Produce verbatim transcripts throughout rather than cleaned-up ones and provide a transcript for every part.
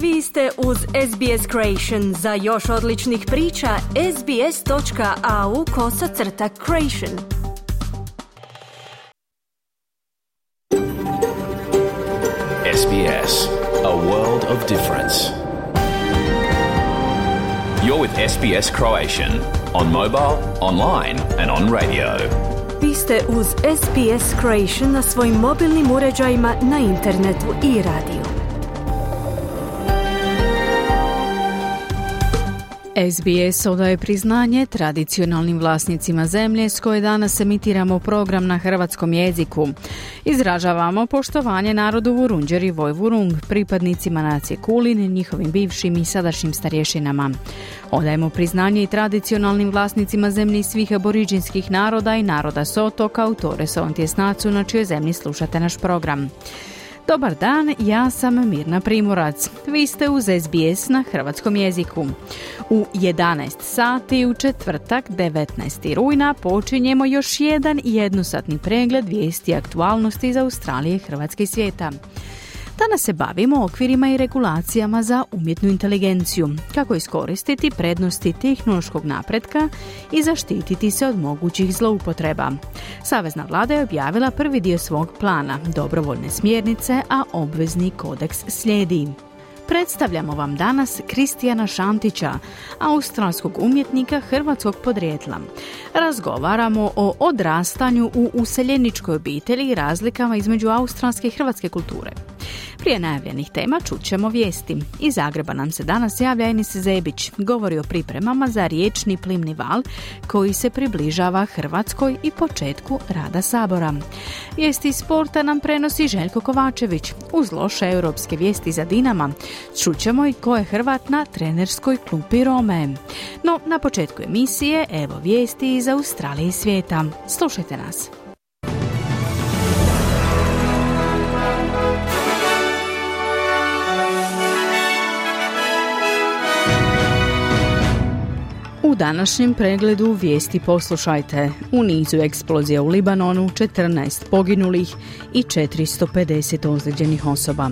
Vi ste uz S B S Creation. Za još odličnih priča, sbs.au kosacrta creation. S B S, a world of difference. You're with S B S Croatian on mobile, online and on radio. Vi ste uz S B S Creation na svojim mobilnim uređajima, na internetu i radiju. S B S odaje priznanje tradicionalnim vlasnicima zemlje s koje danas emitiramo program na hrvatskom jeziku. Izražavamo poštovanje narodu Vurundjer i Vojvurung, pripadnicima nacije Kulin, njihovim bivšim i sadašnjim starješinama. Odajemo priznanje i tradicionalnim vlasnicima zemlji svih aboriđinskih naroda i naroda s otoka u Torresovom tjesnacu na čijoj zemlji slušate naš program. Dobar dan, ja sam Mirna Primorac. Vi ste uz S B S na hrvatskom jeziku. U jedanaest sati u četvrtak devetnaestog rujna počinjemo još jedan jednosatni pregled vijesti aktualnosti iz Australije, Hrvatske i svijeta. Danas se bavimo okvirima i regulacijama za umjetnu inteligenciju, kako iskoristiti prednosti tehnološkog napretka i zaštititi se od mogućih zloupotreba. Savezna vlada je objavila prvi dio svog plana, dobrovoljne smjernice, a obvezni kodeks slijedi. Predstavljamo vam danas Kristijana Šantića, australskog umjetnika hrvatskog podrijetla. Razgovaramo o odrastanju u useljeničkoj obitelji i razlikama između australske i hrvatske kulture. Prije najavljenih tema čućemo vijesti. Iz Zagreba nam se danas javlja Enis Zebić, govori o pripremama za riječni plimni val koji se približava Hrvatskoj i početku rada Sabora. Vijesti iz sporta nam prenosi Željko Kovačević. Uz loše europske vijesti za Dinama čućemo i ko je Hrvat na trenerskoj klupi Rome. No, na početku emisije evo vijesti iz Australije i svijeta. Slušajte nas. U današnjem pregledu vijesti poslušajte. U nizu eksplozija u Libanonu, četrnaest poginulih i četiristo pedeset ozlijeđenih osoba.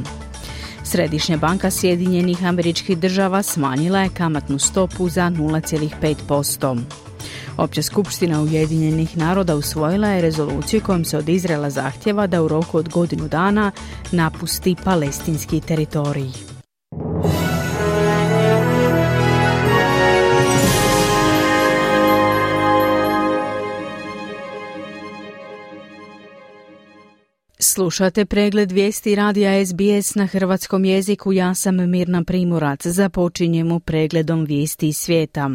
Središnja banka Sjedinjenih Američkih Država smanjila je kamatnu stopu za nula zarez pet posto. Opća skupština Ujedinjenih naroda usvojila je rezoluciju kojom se od Izraela zahtjeva da u roku od godinu dana napusti palestinski teritorij. Slušate pregled vijesti radija S B S na hrvatskom jeziku. Ja sam Mirna Primorac. Započinjemo pregledom vijesti iz svijeta.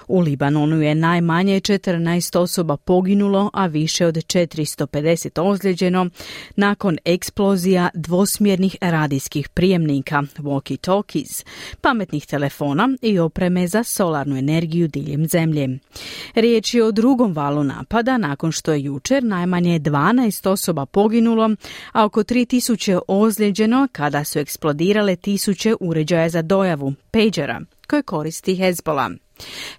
U Libanonu je najmanje četrnaest osoba poginulo, a više od četiristo pedeset ozlijeđeno nakon eksplozija dvosmjernih radijskih prijemnika, walkie-talkies, pametnih telefona i opreme za solarnu energiju diljem zemlje. Riječ je o drugom valu napada nakon što je jučer najmanje dvanaest osoba poginulo, a oko tri tisuće ozlijeđeno kada su eksplodirale tisuće uređaja za dojavu, pagera, koje koristi Hezbollah.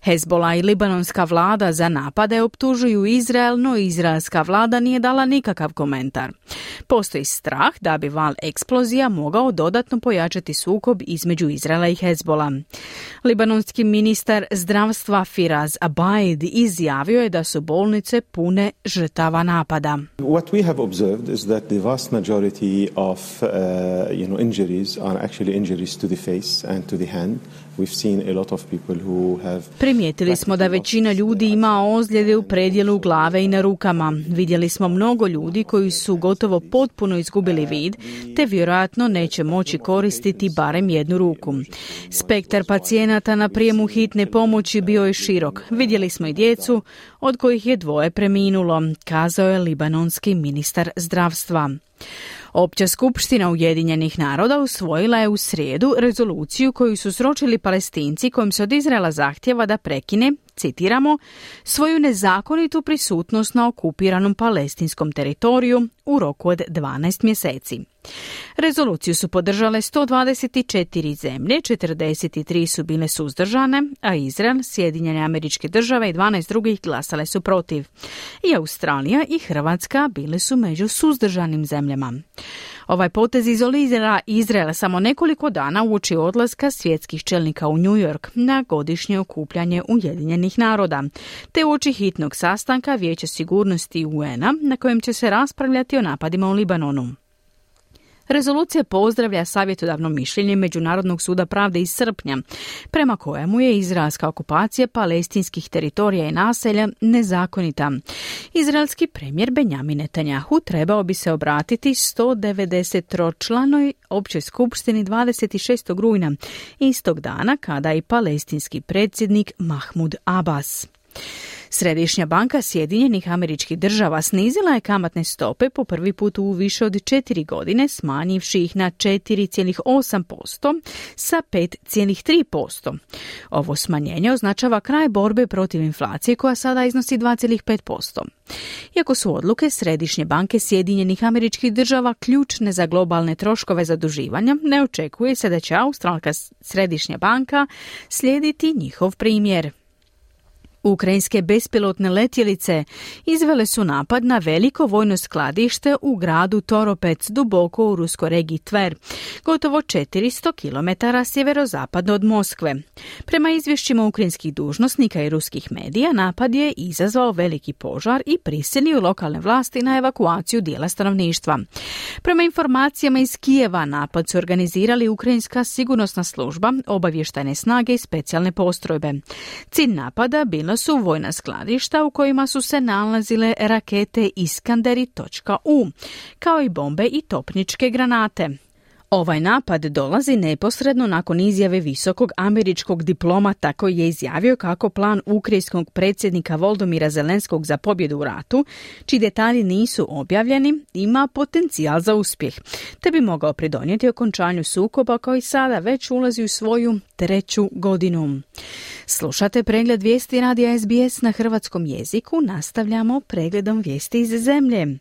Hezbollah i libanonska vlada za napade optužuju Izrael, no izraelska vlada nije dala nikakav komentar. Postoji strah da bi val eksplozija mogao dodatno pojačati sukob između Izraela i Hezbollah. Libanonski ministar zdravstva Firaz Abaid izjavio je da su bolnice pune žrtava napada. What we have observed is that the vast majority of uh, you know injuries are actually injuries to the face and to the hand. We've seen a lot of people who have... Primijetili smo da većina ljudi ima ozljede u predjelu glave i na rukama. Vidjeli smo mnogo ljudi koji su gotovo potpuno izgubili vid, te vjerojatno neće moći koristiti barem jednu ruku. Spektar pacijenata na prijemu hitne pomoći bio je širok. Vidjeli smo i djecu, od kojih je dvoje preminulo, kazao je libanonski ministar zdravstva. Opća skupština Ujedinjenih naroda usvojila je u srijedu rezoluciju koju su sročili Palestinci kojim se od Izraela zahtjeva da prekine, citiramo, svoju nezakonitu prisutnost na okupiranom palestinskom teritoriju u roku od dvanaest mjeseci. Rezoluciju su podržale sto dvadeset četiri zemlje, četrdeset tri su bile suzdržane, a Izrael, Sjedinjene Američke Države i dvanaest drugih glasale su protiv. I Australija i Hrvatska bile su među suzdržanim zemljama. Ovaj potez izolira Izrael samo nekoliko dana uoči odlaska svjetskih čelnika u New York na godišnje okupljanje Ujedinjenih naroda, te uoči hitnog sastanka Vijeća sigurnosti U N-a na kojem će se raspravljati o napadima u Libanonu. Rezolucija pozdravlja savjetodavno mišljenje Međunarodnog suda pravde iz srpnja, prema kojemu je izraelska okupacija palestinskih teritorija i naselja nezakonita. Izraelski premijer Benjamin Netanjahu trebao bi se obratiti sto devedeset tročlanoj općoj skupštini dvadeset šestog rujna, istog dana kada i palestinski predsjednik Mahmud Abbas. Središnja banka Sjedinjenih Američkih Država snizila je kamatne stope po prvi put u više od četiri godine, smanjivši ih na četiri zarez osam posto sa pet zarez tri posto. Ovo smanjenje označava kraj borbe protiv inflacije koja sada iznosi dva zarez pet posto. Iako su odluke Središnje banke Sjedinjenih Američkih Država ključne za globalne troškove zaduživanja, ne očekuje se da će Australska središnja banka slijediti njihov primjer. Ukrajinske bespilotne letjelice izvele su napad na veliko vojno skladište u gradu Toropec, duboko u ruskoj regiji Tver, gotovo četiristo kilometara sjeverozapadno od Moskve. Prema izvješćima ukrajinskih dužnosnika i ruskih medija, napad je izazvao veliki požar i prisilio lokalne vlasti na evakuaciju dijela stanovništva. Prema informacijama iz Kijeva, napad su organizirali Ukrajinska sigurnosna služba, obavještajne snage i specijalne postrojbe. Cilj napada bilo su vojna skladišta u kojima su se nalazile rakete Iskanderi.U, kao i bombe i topničke granate. Ovaj napad dolazi neposredno nakon izjave visokog američkog diplomata koji je izjavio kako plan ukrajinskog predsjednika Volodymyra Zelenskog za pobjedu u ratu, čiji detalji nisu objavljeni, ima potencijal za uspjeh, te bi mogao pridonijeti okončanju sukoba koji sada već ulazi u svoju treću godinu. Slušate pregled vijesti radija S B S na hrvatskom jeziku, nastavljamo pregledom vijesti iz zemlje.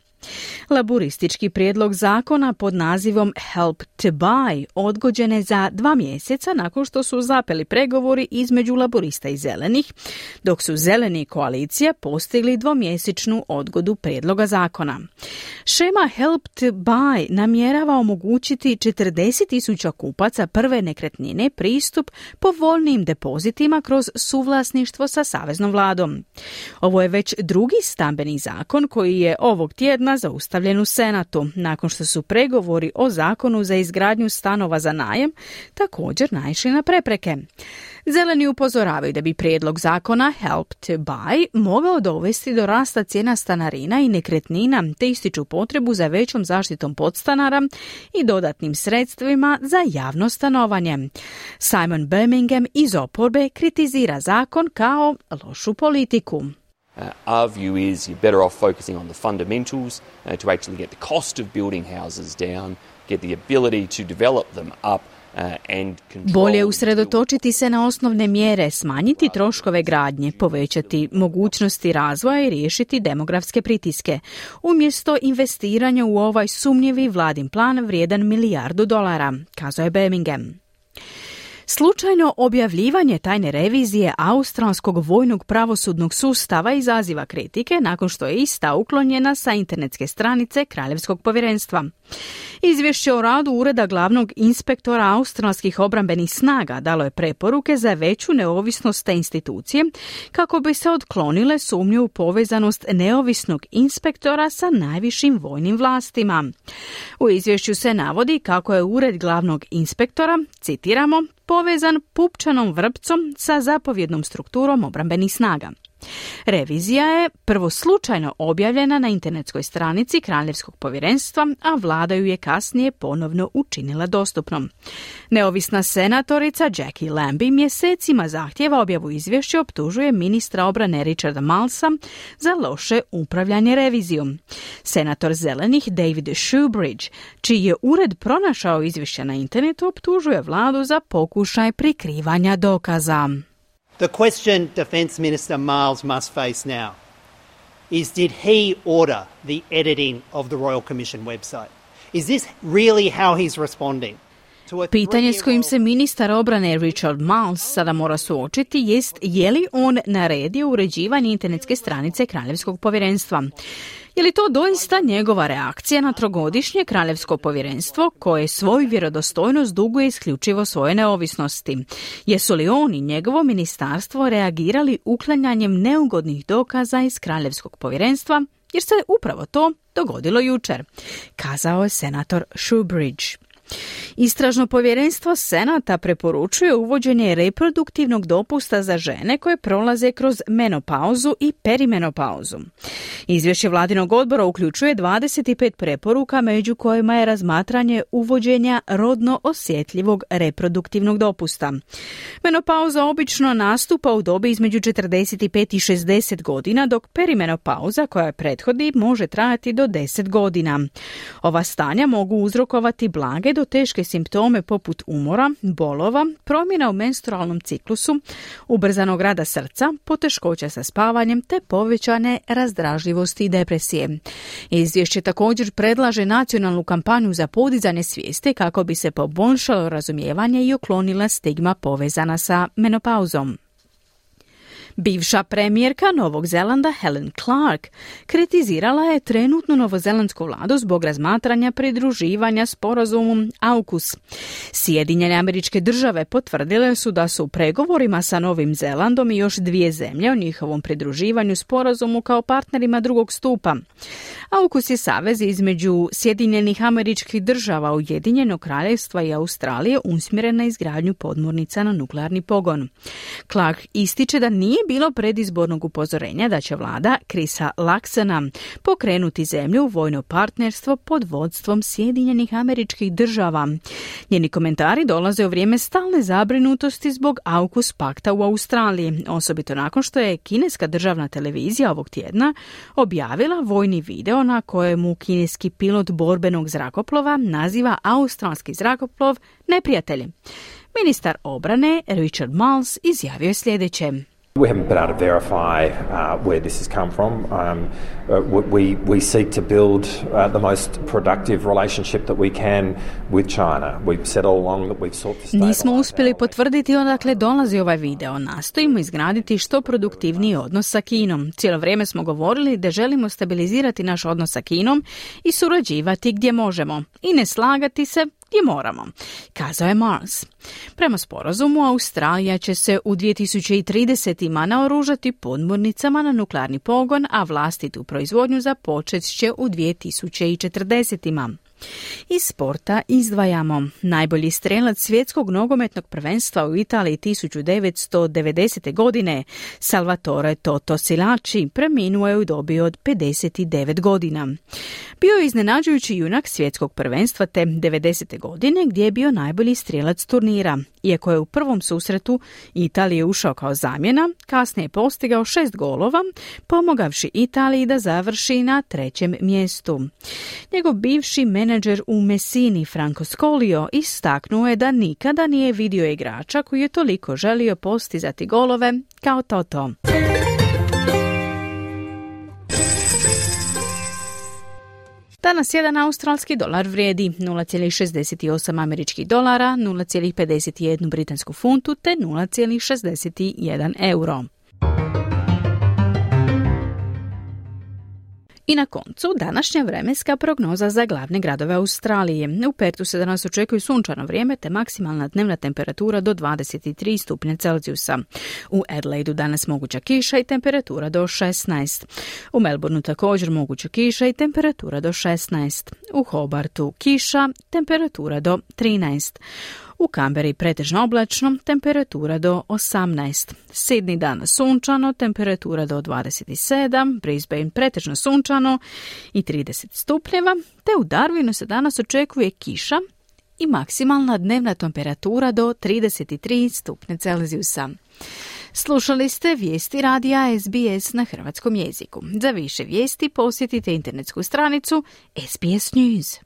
Laburistički prijedlog zakona pod nazivom Help to Buy odgođen je za dva mjeseca nakon što su zapeli pregovori između laburista i zelenih, dok su zeleni i koalicija postigli dvomjesečnu odgodu prijedloga zakona. Šema Help to Buy namjerava omogućiti četrdeset tisuća kupaca prve nekretnine pristup povoljnijim depozitima kroz suvlasništvo sa saveznom vladom. Ovo je već drugi stambeni zakon koji je ovog tjedna zaustavljen u Senatu, nakon što su pregovori o zakonu za izgradnju stanova za najam također naišli na prepreke. Zeleni upozoravaju da bi prijedlog zakona Help to Buy mogao dovesti do rasta cijena stanarina i nekretnina, te ističu potrebu za većom zaštitom podstanara i dodatnim sredstvima za javno stanovanje. Simon Birmingham iz oporbe kritizira zakon kao lošu politiku. Uh, our view is you're better off focusing on the fundamentals uh, to actually get the cost of building houses down, get the ability to develop them up. Bolje usredotočiti se na osnovne mjere, smanjiti troškove gradnje, povećati mogućnosti razvoja i riješiti demografske pritiske, umjesto investiranja u ovaj sumnjivi vladin plan vrijedan milijardu dolara, kazao je Birmingham. Slučajno objavljivanje tajne revizije australskog vojnog pravosudnog sustava izaziva kritike nakon što je ista uklonjena sa internetske stranice Kraljevskog povjerenstva. Izvješće o radu Ureda glavnog inspektora australskih obrambenih snaga dalo je preporuke za veću neovisnost te institucije kako bi se otklonile sumnje u povezanost neovisnog inspektora sa najvišim vojnim vlastima. U izvješću se navodi kako je Ured glavnog inspektora, citiramo, povezan pupčanom vrpcom sa zapovjednom strukturom obrambenih snaga. Revizija je prvo slučajno objavljena na internetskoj stranici Kraljevskog povjerenstva, a vlada ju je kasnije ponovno učinila dostupnom. Neovisna senatorica Jackie Lambie mjesecima zahtjeva objavu izvješća i optužuje ministra obrane Richarda Marlsa za loše upravljanje revizijom. Senator zelenih David Shoebridge, čiji je ured pronašao izvješća na internetu, optužuje vladu za pokušaj prikrivanja dokaza. The question Defence Minister Marles must face now is, did he order the editing of the Royal Commission website? Is this really how he's responding? Pitanje s kojim se ministar obrane Richard Marles sada mora suočiti jest je li on naredio uređivanje internetske stranice Kraljevskog povjerenstva. Je li to doista njegova reakcija na trogodišnje Kraljevsko povjerenstvo koje svoju vjerodostojnost duguje isključivo svoje neovisnosti? Jesu li on i njegovo ministarstvo reagirali uklanjanjem neugodnih dokaza iz Kraljevskog povjerenstva? Jer se upravo to dogodilo jučer, kazao je senator Shoebridge. Istražno povjerenstvo Senata preporučuje uvođenje reproduktivnog dopusta za žene koje prolaze kroz menopauzu i perimenopauzu. Izvješće vladinog odbora uključuje dvadeset pet preporuka, među kojima je razmatranje uvođenja rodno osjetljivog reproduktivnog dopusta. Menopauza obično nastupa u dobi između četrdeset pet i šezdeset godina, dok perimenopauza koja je prethodi može trajati do deset godina. Ova stanja mogu uzrokovati blage do teške simptome poput umora, bolova, promjena u menstrualnom ciklusu, ubrzanog rada srca, poteškoća sa spavanjem te povećane razdražljivosti i depresije. Izvješće također predlaže nacionalnu kampanju za podizanje svijesti kako bi se poboljšalo razumijevanje i uklonila stigma povezana sa menopauzom. Bivša premijerka Novog Zelanda Helen Clark kritizirala je trenutnu novozelandsku vladu zbog razmatranja pridruživanja sporazumom AUKUS. Sjedinjene Američke Države potvrdile su da su u pregovorima sa Novim Zelandom i još dvije zemlje o njihovom pridruživanju sporazumu kao partnerima drugog stupa. AUKUS je savez između Sjedinjenih Američkih Država, Ujedinjenog Kraljevstva i Australije usmjeren na izgradnju podmornica na nuklearni pogon. Clark ističe da nije bilo predizbornog upozorenja da će vlada Chrisa Luxona pokrenuti zemlju u vojno partnerstvo pod vodstvom Sjedinjenih Američkih Država. Njeni komentari dolaze u vrijeme stalne zabrinutosti zbog AUKUS pakta u Australiji, osobito nakon što je kineska državna televizija ovog tjedna objavila vojni video na kojemu kineski pilot borbenog zrakoplova naziva australski zrakoplov neprijateljem. Ministar obrane Richard Marles izjavio je sljedeće. We haven't been able to verify uh, where this has come from. Um, uh, we, we seek to build uh, the most productive relationship that we can with China. We've said all along that we've sought to stabilize. Nismo uspjeli potvrditi odakle dolazi ovaj video. Nastojimo izgraditi što produktivniji odnos sa Kinom. Cijelo vrijeme smo govorili da želimo stabilizirati naš odnos sa Kinom i surađivati gdje možemo i ne slagati se gdje moramo, kazao je Marles. Prema sporazumu, Australija će se u dvije tisuće trideset. naoružati podmornicama na nuklearni pogon, a vlastitu proizvodnju započet će u dvije tisuće četrdeset. Iz sporta izdvajamo. Najbolji strelac svjetskog nogometnog prvenstva u Italiji tisuću devetsto devedesete. godine, Salvatore Toto Schillaci, preminuo je u dobi od pedeset devet godina. Bio je iznenađujući junak svjetskog prvenstva te devedesete. godine gdje je bio najbolji strelac turnira. Iako je u prvom susretu Italije ušao kao zamjena, kasnije je postigao šest golova, pomogavši Italiji da završi na trećem mjestu. Njegov bivši menadžer u Messini, Franco Scolio, istaknuo je da nikada nije vidio igrača koji je toliko želio postizati golove kao Toto. Danas jedan australski dolar vrijedi nula zarez šezdeset osam američkih dolara, nula zarez pedeset jedan britansku funtu te nula zarez šezdeset jedan euro. I na koncu današnja vremenska prognoza za glavne gradove Australije. U Pertu se danas očekuje sunčano vrijeme te maksimalna dnevna temperatura do dvadeset tri stupnja Celzijusa. U Adelaidu danas moguća kiša i temperatura do šesnaest. U Melbourneu također moguća kiša i temperatura do šesnaest. U Hobartu kiša, temperatura do trinaest. U Kamberi pretežno oblačno, temperatura do osamnaest. Sydney danas sunčano, temperatura do dvadeset sedam, Brisbane pretežno sunčano i trideset stupnjeva, te u Darwinu se danas očekuje kiša i maksimalna dnevna temperatura do trideset tri stupnja Celzijusa. Slušali ste vijesti radija S B S na hrvatskom jeziku. Za više vijesti posjetite internetsku stranicu S B S News.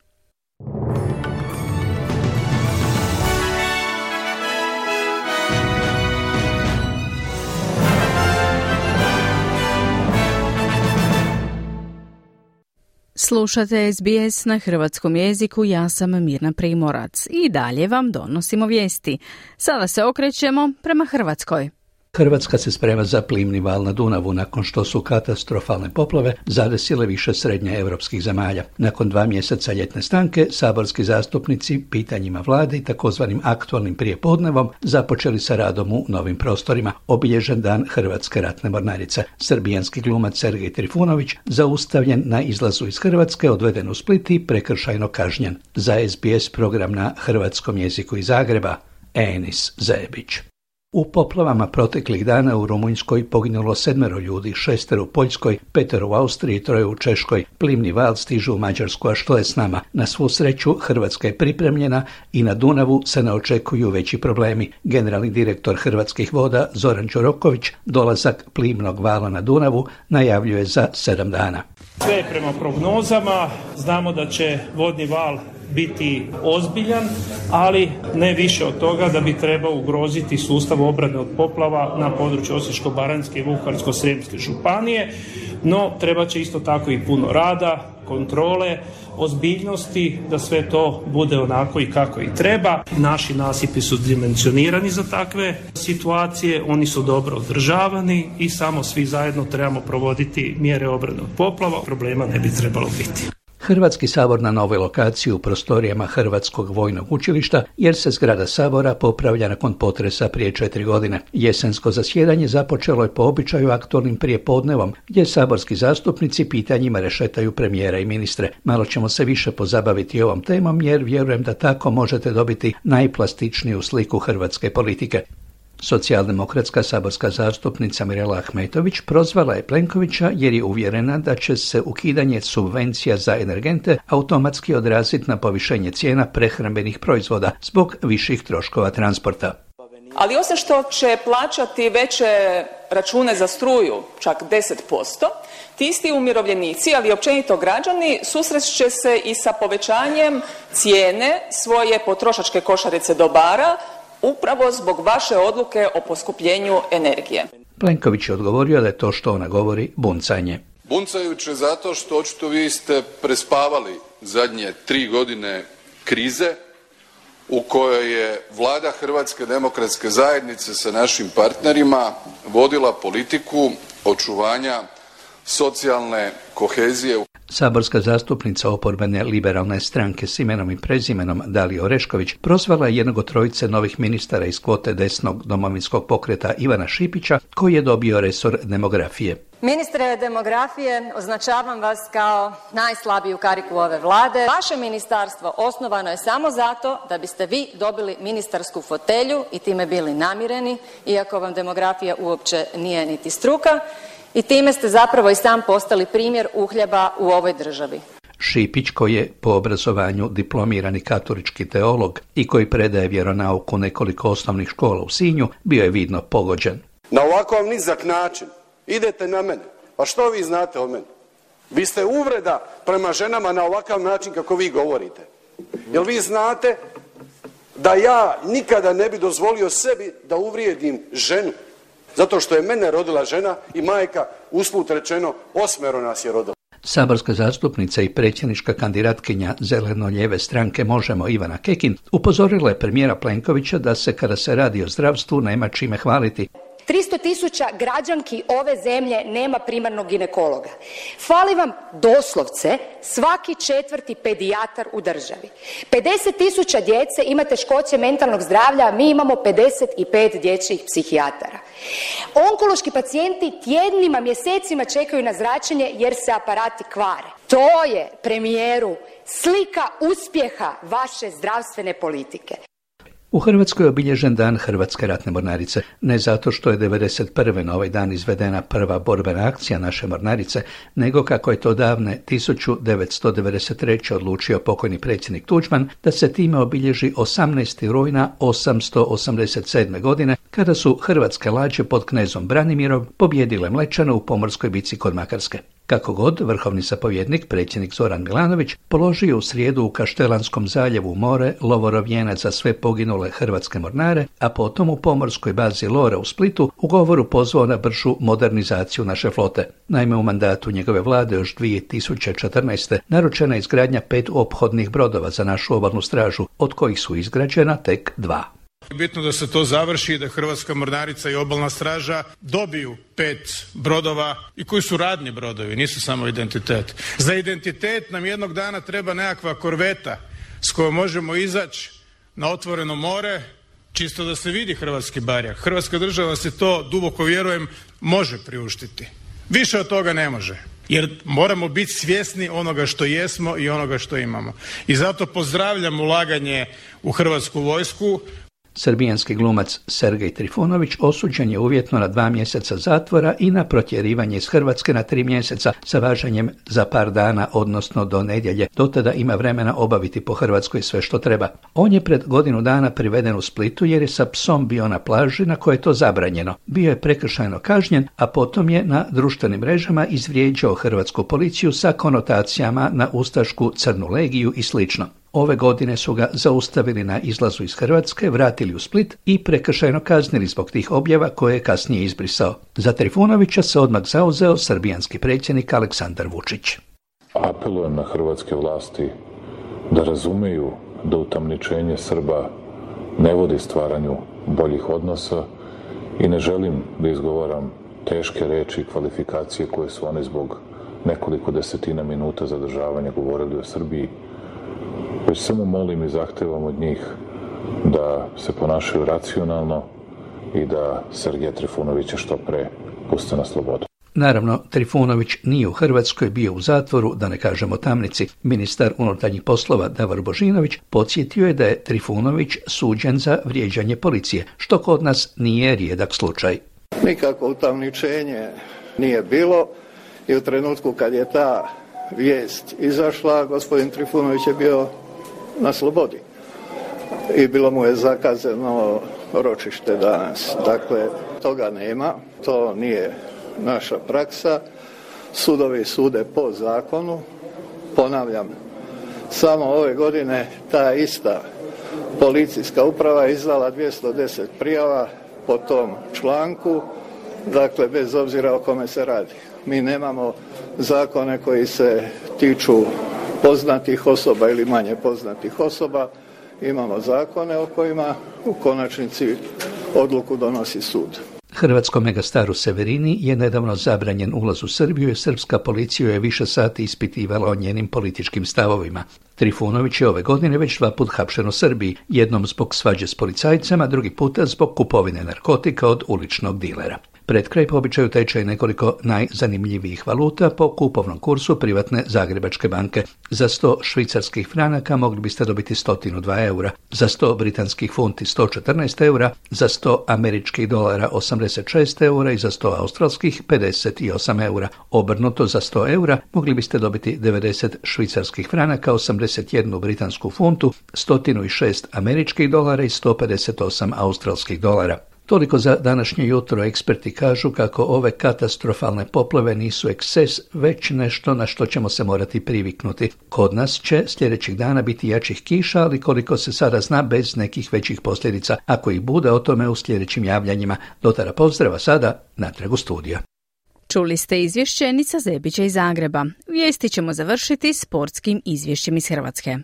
Slušate S B S na hrvatskom jeziku, ja sam Mirna Primorac i dalje vam donosimo vijesti. Sada se okrećemo prema Hrvatskoj. Hrvatska se sprema za plimni val na Dunavu nakon što su katastrofalne poplave zadesile više srednje europskih zemalja. Nakon dva mjeseca ljetne stanke, saborski zastupnici pitanjima vlade i takozvanim aktualnim prijepodnevom započeli sa radom u novim prostorima. Obilježen dan Hrvatske ratne mornarice. Srbijanski glumac Sergej Trifunović zaustavljen na izlazu iz Hrvatske, odveden u Split i prekršajno kažnjen. Za S B S program na hrvatskom jeziku iz Zagreba, Enis Zebić. U poplavama proteklih dana u Rumunjskoj poginulo sedmero ljudi, šestero u Poljskoj, petero u Austriji, troje u Češkoj. Plimni val stiže u Mađarsku, a što je s nama? Na svu sreću Hrvatska je pripremljena i na Dunavu se ne očekuju veći problemi. Generalni direktor Hrvatskih voda Zoran Đuroković dolazak plimnog vala na Dunavu najavljuje za sedam dana. Sve je prema prognozama, znamo da će vodni val biti ozbiljan, ali ne više od toga da bi trebao ugroziti sustav obrane od poplava na području Osječko-baranjske i Vukovarsko-srijemske županije, no treba će isto tako i puno rada, kontrole, ozbiljnosti, da sve to bude onako i kako i treba. Naši nasipi su dimenzionirani za takve situacije, oni su dobro održavani i samo svi zajedno trebamo provoditi mjere obrane od poplava, problema ne bi trebalo biti. Hrvatski sabor na novoj lokaciji u prostorijama Hrvatskog vojnog učilišta, jer se zgrada sabora popravlja nakon potresa prije četiri godine. Jesensko zasjedanje započelo je po običaju aktualnim prijepodnevom, gdje saborski zastupnici pitanjima rešetaju premijera i ministre. Malo ćemo se više pozabaviti ovom temom, jer vjerujem da tako možete dobiti najplastičniju sliku hrvatske politike. Socijaldemokratska saborska zastupnica Mirela Ahmetović prozvala je Plenkovića jer je uvjerena da će se ukidanje subvencija za energente automatski odraziti na povišenje cijena prehrambenih proizvoda zbog viših troškova transporta. Ali osim što će plaćati veće račune za struju, čak deset posto, ti isti umirovljenici, ali općenito građani, susreće se i sa povećanjem cijene svoje potrošačke košarice dobara, upravo zbog vaše odluke o poskupljenju energije. Plenković je odgovorio da je to što ona govori buncanje. Buncajuće zato što očito vi ste prespavali zadnje tri godine krize u kojoj je vlada Hrvatske demokratske zajednice sa našim partnerima vodila politiku očuvanja socijalne kohezije. Saborska zastupnica oporbene liberalne stranke s imenom i prezimenom Dalija Orešković prozvala je jednog od trojice novih ministara iz kvote desnog domovinskog pokreta Ivana Šipića, koji je dobio resor demografije. Ministre demografije, označavam vas kao najslabiju kariku ove vlade. Vaše ministarstvo osnovano je samo zato da biste vi dobili ministarsku fotelju i time bili namireni, iako vam demografija uopće nije niti struka. I time ste zapravo i sam postali primjer uhljeba u ovoj državi. Šipić, koji je po obrazovanju diplomirani katolički teolog i koji predaje vjeronauku nekoliko osnovnih škola u Sinju, bio je vidno pogođen. Na ovakav nizak način idete na mene. Pa što vi znate o meni? Vi ste uvreda prema ženama na ovakav način kako vi govorite. Jel vi znate da ja nikada ne bi dozvolio sebi da uvrijedim ženu? Zato što je mene rodila žena i majka, usput rečeno, osmero nas je rodila. Saborska zastupnica i predsjednička kandidatkinja zeleno-lijeve stranke Možemo Ivana Kekin upozorila je premijera Plenkovića da se kada se radi o zdravstvu nema čime hvaliti. tristo tisuća građanki ove zemlje nema primarnog ginekologa. Fali vam doslovce svaki četvrti pedijatar u državi. pedeset tisuća djece ima teškoće mentalnog zdravlja, a mi imamo pedeset pet dječjih psihijatara. Onkološki pacijenti tjednima, mjesecima čekaju na zračenje jer se aparati kvare. To je, premijeru, slika uspjeha vaše zdravstvene politike. U Hrvatskoj je obilježen dan Hrvatske ratne mornarice, ne zato što je devedeset prve na ovaj dan izvedena prva borbena akcija naše mornarice, nego kako je to davne tisuću devetsto devedeset treće odlučio pokojni predsjednik Tuđman da se time obilježi osamnaestog rujna osamsto osamdeset sedme. godine, kada su hrvatske lađe pod knezom Branimirom pobjedile Mlečane u pomorskoj bici kod Makarske. Kako god, vrhovni zapovjednik, predsjednik Zoran Milanović, položio u srijedu u Kaštelanskom zaljevu u more lovorov vijenac za sve poginule hrvatske mornare, a potom u pomorskoj bazi Lora u Splitu u govoru pozvao na bržu modernizaciju naše flote. Naime, u mandatu njegove vlade još dvije tisuće četrnaeste. naručena izgradnja pet ophodnih brodova za našu obalnu stražu, od kojih su izgrađena tek dva. Bitno da se to završi i da Hrvatska mornarica i obalna straža dobiju pet brodova i koji su radni brodovi, nisu samo identitet. Za identitet nam jednog dana treba nekakva korveta s kojom možemo izaći na otvoreno more, čisto da se vidi hrvatski barjak. Hrvatska država se to, duboko vjerujem, može priuštiti. Više od toga ne može. Jer moramo biti svjesni onoga što jesmo i onoga što imamo. I zato pozdravljam ulaganje u Hrvatsku vojsku. Srbijanski glumac Sergej Trifunović osuđen je uvjetno na dva mjeseca zatvora i na protjerivanje iz Hrvatske na tri mjeseca sa važenjem za par dana, odnosno do nedjelje. Do tada ima vremena obaviti po Hrvatskoj sve što treba. On je pred godinu dana priveden u Splitu jer je sa psom bio na plaži na kojoj je to zabranjeno. Bio je prekršajno kažnjen, a potom je na društvenim mrežama izvrijeđao hrvatsku policiju sa konotacijama na ustašku Crnu legiju i slično. Ove godine su ga zaustavili na izlazu iz Hrvatske, vratili u Split i prekršajno kaznili zbog tih objava koje je kasnije izbrisao. Za Trifunovića se odmah zauzeo srbijanski predsjednik Aleksandar Vučić. Apelujem na hrvatske vlasti da razumeju da utamničenje Srba ne vodi stvaranju boljih odnosa i ne želim da izgovaram teške reči i kvalifikacije koje su oni zbog nekoliko desetina minuta zadržavanja govorili o Srbiji. Već samo molim i zahtevam od njih da se ponašaju racionalno i da Sergeja Trifunovića što pre puste na slobodu. Naravno, Trifunović nije u Hrvatskoj, bio u zatvoru, da ne kažemo tamnici. Ministar unutarnjih poslova Davor Božinović podsjetio je da je Trifunović suđen za vrijeđanje policije, što kod nas nije rijedak slučaj. Nikako utamničenje nije bilo i u trenutku kad je ta vijest izašla, gospodin Trifunović je bio na slobodi i bilo mu je zakazano ročište danas. Dakle, toga nema, to nije naša praksa. Sudovi sude po zakonu. Ponavljam, samo ove godine ta ista policijska uprava je izdala dvjesto deset prijava po tom članku, dakle bez obzira o kome se radi. Mi nemamo zakone koji se tiču poznatih osoba ili manje poznatih osoba, imamo zakone o kojima u konačnici odluku donosi sud. Hrvatskom megastaru Severini je nedavno zabranjen ulaz u Srbiju i srpska policija je više sati ispitivala o njenim političkim stavovima. Trifunović je ove godine već dva put hapšen u Srbiji, jednom zbog svađe s policajcama, drugi puta zbog kupovine narkotika od uličnog dilera. Pred kraj po običaju tečaj nekoliko najzanimljivijih valuta po kupovnom kursu privatne Zagrebačke banke. Za sto švicarskih franaka mogli biste dobiti sto dva eura, za sto britanskih funti sto četrnaest eura, za sto američkih dolara osamdeset šest eura i za sto australskih pedeset osam eura. Obrnuto, za sto eura mogli biste dobiti devedeset švicarskih franaka, osamdeset jednu britansku funtu, sto šest američkih dolara i sto pedeset osam australskih dolara. Toliko za današnje jutro. Eksperti kažu kako ove katastrofalne poplave nisu eksces, već nešto na što ćemo se morati priviknuti. Kod nas će sljedećih dana biti jačih kiša, ali koliko se sada zna, bez nekih većih posljedica. Ako ih bude, o tome u sljedećim javljanjima. Dotara pozdrava, sada natrag u studiju. Čuli ste izvješće Nica Zebića iz Zagreba. Vijesti ćemo završiti sportskim izvješćem iz Hrvatske.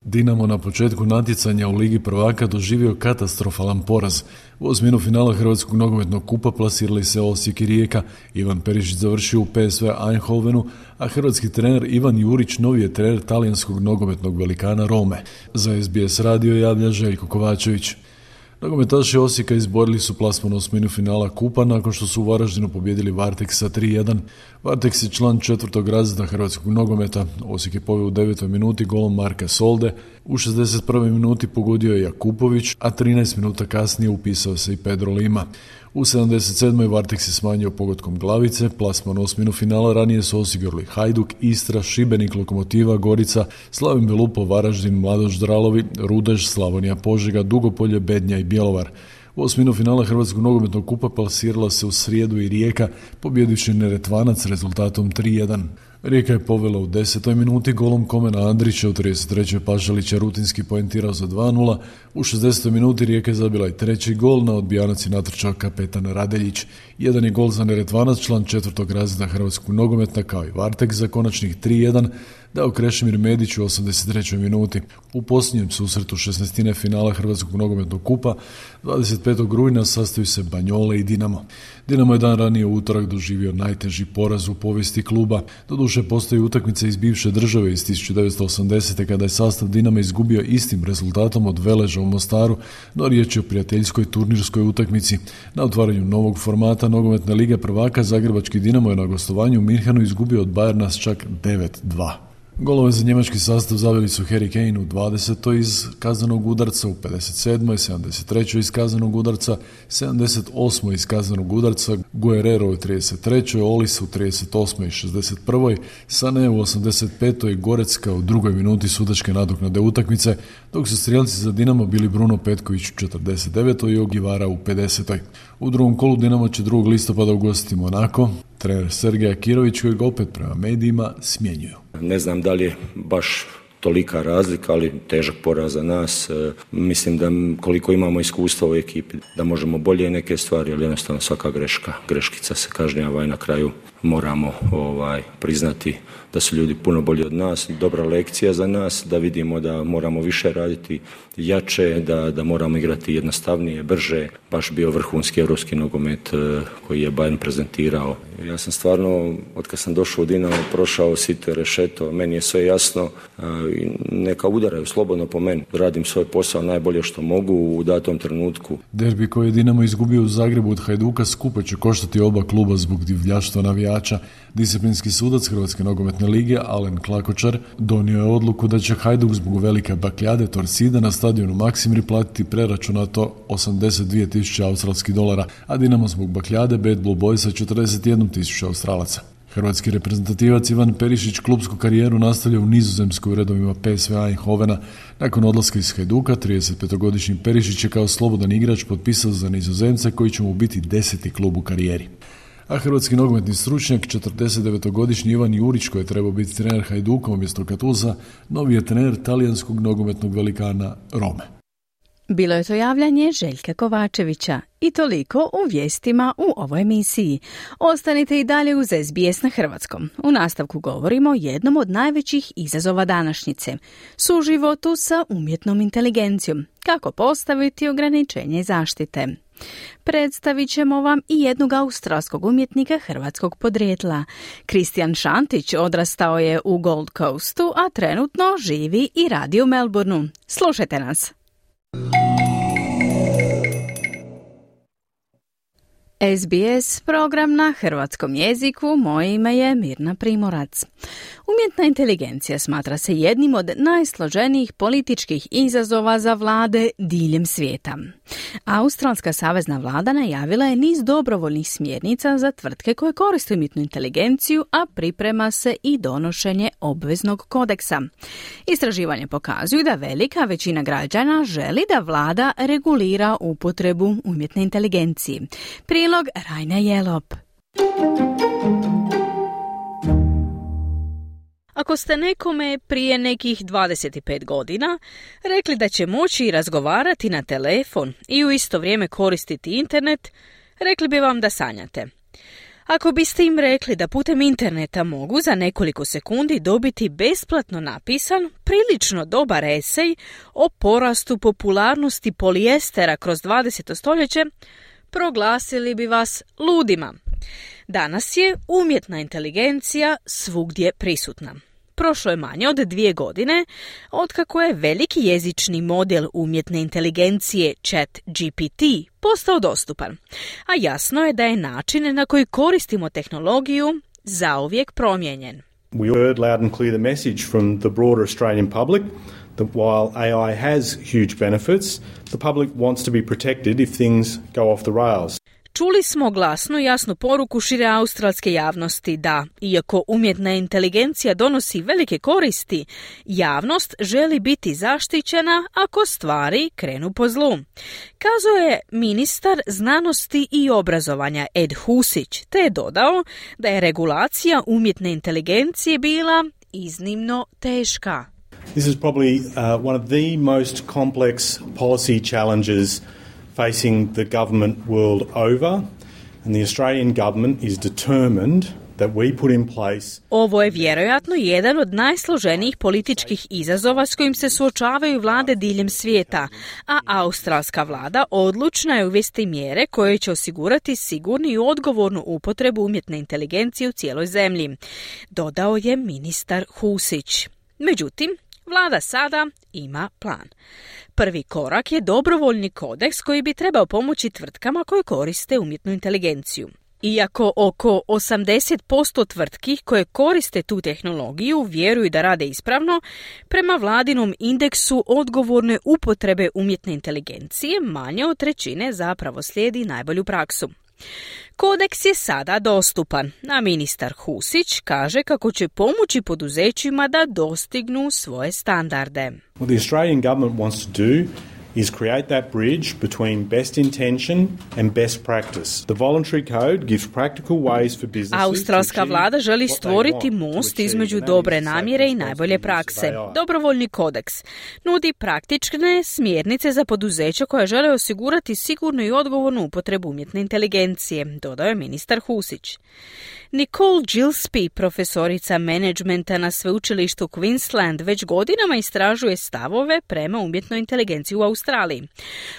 Dinamo na početku natjecanja u Ligi prvaka doživio katastrofalan poraz. U osminu finala Hrvatskog nogometnog kupa plasirali se Osijek i Rijeka. Ivan Perišić završio u P S V Eindhovenu, a hrvatski trener Ivan Jurić novi je trener talijanskog nogometnog velikana Rome. Za S B S radio javlja Željko Kovačević. Nogometaši Osijeka izborili su plasman u osminu finala kupa nakon što su u Varaždinu pobijedili Varteks sa tri jedan. Varteks je član četvrtog razreda hrvatskog nogometa. Osijek je poveo u devetoj minuti golom Marka Solde. U šezdeset prvoj minuti pogodio je Jakupović, a trinaest minuta kasnije upisao se i Pedro Lima. U sedamdeset sedmoj Varteks je smanjio pogodkom glavice. Plasman u osminu finala ranije su osigurali Hajduk, Istra, Šibenik, Lokomotiva, Gorica, Slavin Belupo, Varaždin, Mladoš Dralovi, Rudež, Slavonija Požega, Dugopolje, Bednja i Bjelovar. U osminu finala Hrvatskog nogometnog kupa plasirala se u srijedu i Rijeka, pobjedivši Neretvanac rezultatom tri jedan. Rijeka je povela u desetoj minuti golom Komena Andrića, u trideset trećoj Pašalića rutinski poentirao za dva nula, u šezdesetoj minuti Rijeka je zabila i treći gol, na odbijanac je natrčao kapetan Radeljić. Jedan je gol za Neretvanac, član četvrtog razreda Hrvatskog nogometa, kao i Vartek za konačnih tri jedan, dao Krešimir Medić u osamdeset trećoj minuti. U posljednjem susretu šesnaestine finala Hrvatskog nogometnog kupa dvadeset petog rujna sastaju se Banjole i Dinamo. Dinamo je dan ranije u utorak doživio najteži poraz u povijesti kluba. Doduše postoji utakmica iz bivše države iz tisuću devetsto osamdesete kada je sastav Dinama izgubio istim rezultatom od Veleža u Mostaru, no riječ je o prijateljskoj turnirskoj utakmici. Na otvaranju novog formata nogometne lige prvaka zagrebački Dinamo je na gostovanju u Minhenu izgubio od Bayerna s čak devet dva. Golove za njemački sastav zaveli su Harry Kane u dvadesetoj iz kaznenog udarca, u pedeset sedmoj, sedamdeset trećoj iz kaznenog udarca, sedamdeset osmoj iz kaznenog udarca, Guerrero u trideset trećoj, Olis u trideset osmoj i šezdeset prvoj, Sané u osamdeset petoj i Gorecka u drugoj minuti sudačke nadoknade utakmice, dok su strijelci za Dinamo bili Bruno Petković u četrdeset devetoj i Ogivara u pedesetoj. U drugom kolu Dinamo će drugog listopada ugostiti Monako, trener Sergej Akirović kojeg opet prema medijima smjenjuju. Ne znam da li je baš tolika razlika, ali težak poraz za nas. E, mislim da koliko imamo iskustva u ekipi, da možemo bolje neke stvari, ali jednostavno svaka greška, greškica se kažnjava i na kraju moramo ovaj, priznati da su ljudi puno bolji od nas, dobra lekcija za nas, da vidimo da moramo više raditi jače, da, da moramo igrati jednostavnije, brže, baš bio vrhunski europski nogomet koji je Bayern prezentirao. Ja sam stvarno, od kad sam došao u Dinamo, prošao sito i rešeto, meni je sve jasno, neka udaraju slobodno po meni, radim svoj posao najbolje što mogu u datom trenutku. Derbi koji je Dinamo izgubio u Zagrebu od Hajduka skupo će koštati oba kluba zbog divljaštva navijača. Disciplinski sudac Hrvatske nogometne lige Alen Klakočar donio je odluku da će Hajduk zbog velike bakljade Torsida na stadionu Maksimir platiti preračunato osamdeset dvije tisuće australskih dolara, a Dinamo zbog bakljade Bad Blue Boysa četrdeset jednu tisuću australaca. Hrvatski reprezentativac Ivan Perišić klubsku karijeru nastavlja u Nizozemskoj u redovima P S V Eindhovena. Nakon odlaska iz Hajduka, tridesetpetogodišnji Perišić je kao slobodan igrač potpisao za Nizozemce koji će mu biti deseti klub u karijeri. A hrvatski nogometni stručnjak, četrdesetdevetogodišnji Ivan Jurić, koji je trebao biti trener Hajduka umjesto Katuza, novi je trener talijanskog nogometnog velikana Rome. Bilo je to javljanje Željka Kovačevića i toliko u vijestima u ovoj emisiji. Ostanite i dalje uz S B S na hrvatskom. U nastavku govorimo o jednom od najvećih izazova današnjice, suživotu sa umjetnom inteligencijom, kako postaviti ograničenje zaštite. Predstavit ćemo vam i jednog australskog umjetnika hrvatskog podrijetla. Kristijan Šantić odrastao je u Gold Coastu, a trenutno živi i radi u Melbourneu. Slušajte nas. S B S program na hrvatskom jeziku, moje ime je Mirna Primorac. Umjetna inteligencija smatra se jednim od najsloženijih političkih izazova za vlade diljem svijeta. Australska savezna vlada najavila je niz dobrovoljnih smjernica za tvrtke koje koriste umjetnu inteligenciju, a priprema se i donošenje obveznog kodeksa. Istraživanje pokazuju da velika većina građana želi da vlada regulira upotrebu umjetne inteligencije. Prilog Rajna Jelop. Ako ste nekome prije nekih dvadeset pet godina rekli da će moći razgovarati na telefon i u isto vrijeme koristiti internet, rekli bi vam da sanjate. Ako biste im rekli da putem interneta mogu za nekoliko sekundi dobiti besplatno napisan, prilično dobar esej o porastu popularnosti polijestera kroz dvadeseto stoljeće, proglasili bi vas ludima. Danas je umjetna inteligencija svugdje prisutna. Prošlo je manje od dvije godine otkako je veliki jezični model umjetne inteligencije Chat G P T postao dostupan, a jasno je da je način na koji koristimo tehnologiju zauvijek promijenjen. We heard loud and clear the message from the broader Australian public that while A I has huge benefits, the public wants to be protected if things go off the rails. Čuli smo glasnu i jasnu poruku šire australske javnosti da, iako umjetna inteligencija donosi velike koristi, javnost želi biti zaštićena ako stvari krenu po zlu. Kazao je ministar znanosti i obrazovanja Ed Husić, te je dodao da je regulacija umjetne inteligencije bila iznimno teška. This is probably uh, one of the most complex policy challenges facing the government world over, and the Australian government is determined that we put in place. Ovo je vjerojatno jedan od najsloženijih političkih izazova s kojim se suočavaju vlade diljem svijeta, a australska vlada odlučna je uvesti mjere koje će osigurati sigurnu i odgovornu upotrebu umjetne inteligencije u cijeloj zemlji, dodao je ministar Husić. Međutim, vlada sada ima plan. Prvi korak je dobrovoljni kodeks koji bi trebao pomoći tvrtkama koje koriste umjetnu inteligenciju. Iako oko osamdeset posto tvrtki koje koriste tu tehnologiju vjeruju da rade ispravno, prema vladinom indeksu odgovorne upotrebe umjetne inteligencije manje od trećine zapravo slijedi najbolju praksu. Kodeks je sada dostupan, a ministar Husić kaže kako će pomoći poduzećima da dostignu svoje standarde. What the Australian government wants to do is create that bridge between best intention and best practice. The voluntary code gives practical ways for businesses. Australska vlada želi stvoriti most između dobre namjere i najbolje prakse. Dobrovoljni kodeks nudi praktične smjernice za poduzeća koja žele osigurati sigurnu i odgovornu upotrebu umjetne inteligencije, dodao je ministar Husić. Nicole Gillespie, profesorica menadžmenta na sveučilištu Queensland, već godinama istražuje stavove prema umjetnoj inteligenciji u Australiji.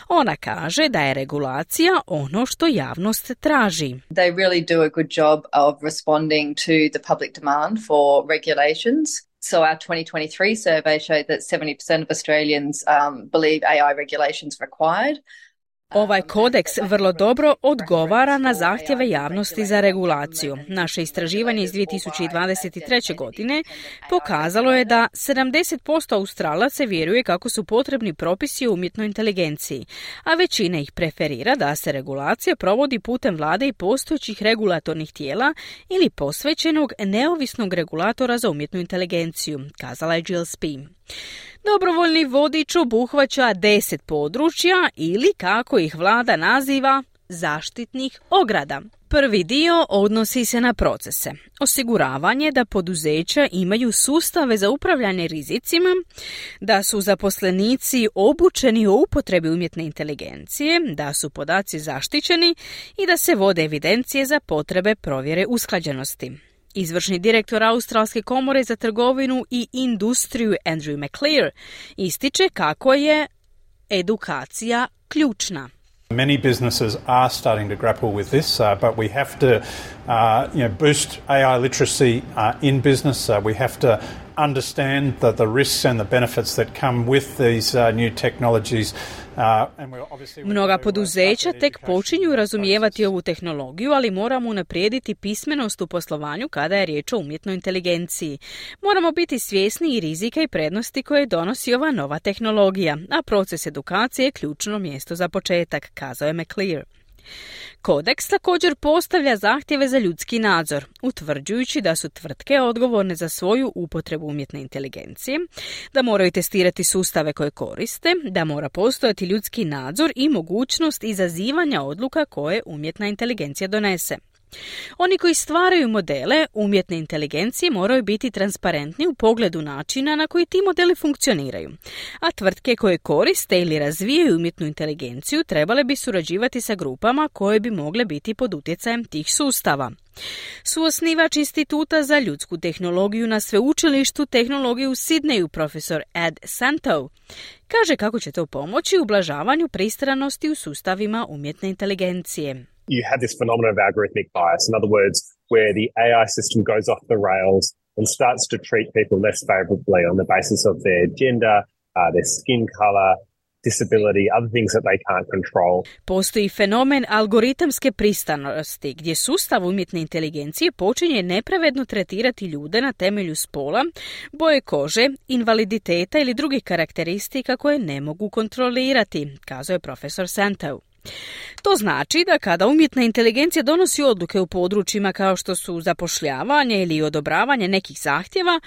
Ona kaže da je regulacija ono što javnost traži. They really do a good job of responding to the public demand for regulations. So our twenty twenty-three survey showed that seventy percent of Australians um, believe A I regulations required. Ovaj kodeks vrlo dobro odgovara na zahtjeve javnosti za regulaciju. Naše istraživanje iz dvije tisuće dvadeset treće. godine pokazalo je da sedamdeset posto Australaca vjeruje kako su potrebni propisi o umjetnoj inteligenciji, a većina ih preferira da se regulacija provodi putem vlade i postojećih regulatornih tijela ili posvećenog neovisnog regulatora za umjetnu inteligenciju, kazala je Gillespie. Dobrovoljni vodič obuhvaća deset područja ili, kako ih vlada naziva, zaštitnih ograda. Prvi dio odnosi se na procese. Osiguravanje da poduzeća imaju sustave za upravljanje rizicima, da su zaposlenici obučeni o upotrebi umjetne inteligencije, da su podaci zaštićeni i da se vode evidencije za potrebe provjere usklađenosti. Izvršni direktor Australske komore za trgovinu i industriju Andrew McClear ističe kako je edukacija ključna. Many businesses are starting to grapple with this, uh, but we have to uh, you know, boost A I literacy uh, in business. Uh, we have to understand the, the risks and the benefits that come with these uh, new technologies. Mnoga poduzeća tek počinju razumijevati ovu tehnologiju, ali moramo unaprijediti pismenost u poslovanju kada je riječ o umjetnoj inteligenciji. Moramo biti svjesni i rizika i prednosti koje donosi ova nova tehnologija, a proces edukacije je ključno mjesto za početak, kazao je McClear. Kodeks također postavlja zahtjeve za ljudski nadzor, utvrđujući da su tvrtke odgovorne za svoju upotrebu umjetne inteligencije, da moraju testirati sustave koje koriste, da mora postojati ljudski nadzor i mogućnost izazivanja odluka koje umjetna inteligencija donese. Oni koji stvaraju modele umjetne inteligencije moraju biti transparentni u pogledu načina na koji ti modeli funkcioniraju, a tvrtke koje koriste ili razvijaju umjetnu inteligenciju trebale bi surađivati sa grupama koje bi mogle biti pod utjecajem tih sustava. Suosnivač Instituta za ljudsku tehnologiju na sveučilištu tehnologije u Sidneju, profesor Ed Santow, kaže kako će to pomoći u ublažavanju pristranosti u sustavima umjetne inteligencije. You have this phenomenon of algorithmic bias. In other words, where the A I system goes off the rails and starts to treat people less favorably on the basis of their gender, uh, their skin color, disability, other things that they can't control. Postoji fenomen algoritamske pristranosti, gdje sustav umjetne inteligencije počinje nepravedno tretirati ljude na temelju spola, boje kože, invaliditeta ili drugih karakteristika koje ne mogu kontrolirati, kazao je profesor Santow. To znači da kada umjetna inteligencija donosi odluke u područjima kao što su zapošljavanje ili odobravanje nekih zahtjeva,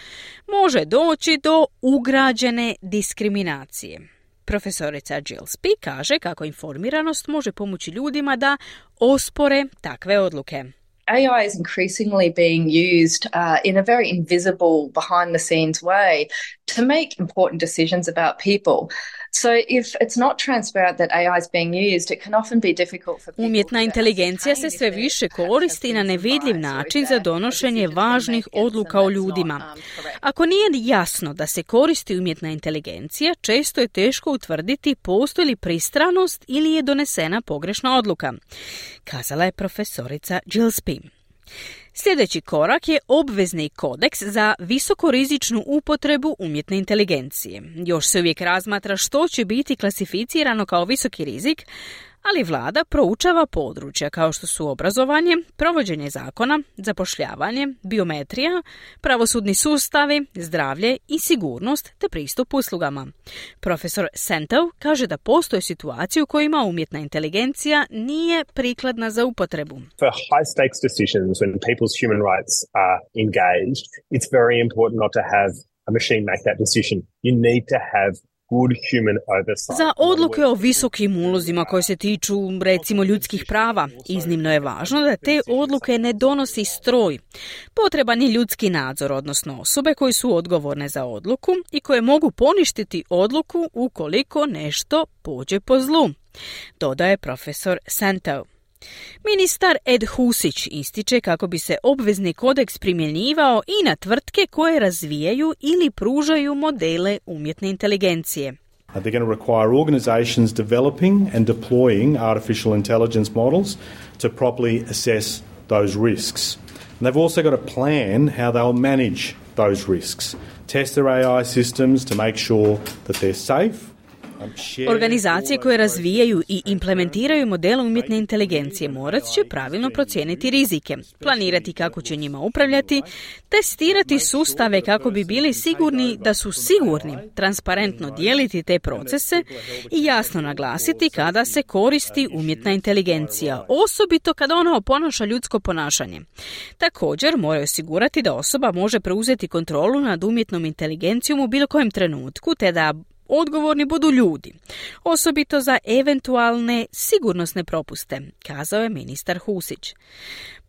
može doći do ugrađene diskriminacije. Profesorica Gillespie kaže kako informiranost može pomoći ljudima da ospore takve odluke. A I is increasingly being used uh, in a very invisible, behind-the-scenes way to make important decisions about people. So if it's not transparent that A I is being used, it can often be difficult for people. Umjetna inteligencija se sve više koristi na nevidljiv način za donošenje važnih odluka o ljudima. Ako nije jasno da se koristi umjetna inteligencija, često je teško utvrditi postoji li pristranost ili je donesena pogrešna odluka, kazala je profesorica Gillespie. Sljedeći korak je obvezni kodeks za visokorizičnu upotrebu umjetne inteligencije. Još se uvijek razmatra što će biti klasificirano kao visoki rizik, ali vlada proučava područja kao što su obrazovanje, provođenje zakona, zapošljavanje, biometrija, pravosudni sustavi, zdravlje i sigurnost te pristup uslugama. Profesor Sentov kaže da postoje situacije u kojima umjetna inteligencija nije prikladna za upotrebu. For high stakes decisions when people's human rights are engaged, it's very important not to have a machine make that decision. You need to have good human oversight. Za odluke o visokim ulozima koje se tiču, recimo, ljudskih prava, iznimno je važno da te odluke ne donosi stroj. Potreban je ljudski nadzor, odnosno osobe koje su odgovorne za odluku i koje mogu poništiti odluku ukoliko nešto pođe po zlu, dodaje profesor Sentov. Ministar Ed Husić ističe kako bi se obvezni kodeks primjenjivao i na tvrtke koje razvijaju ili pružaju modele umjetne inteligencije. They're going to require organizations developing and deploying artificial intelligence models to properly assess those risks. And they've also got to plan how they'll manage those risks. Test their A I systems to make sure that they're safe. Organizacije koje razvijaju i implementiraju modele umjetne inteligencije morat će pravilno procijeniti rizike, planirati kako će njima upravljati, testirati sustave kako bi bili sigurni da su sigurni, transparentno dijeliti te procese i jasno naglasiti kada se koristi umjetna inteligencija, osobito kada ona oponaša ljudsko ponašanje. Također moraju osigurati da osoba može preuzeti kontrolu nad umjetnom inteligencijom u bilo kojem trenutku, te da odgovorni budu ljudi, osobito za eventualne sigurnosne propuste, kazao je ministar Husić.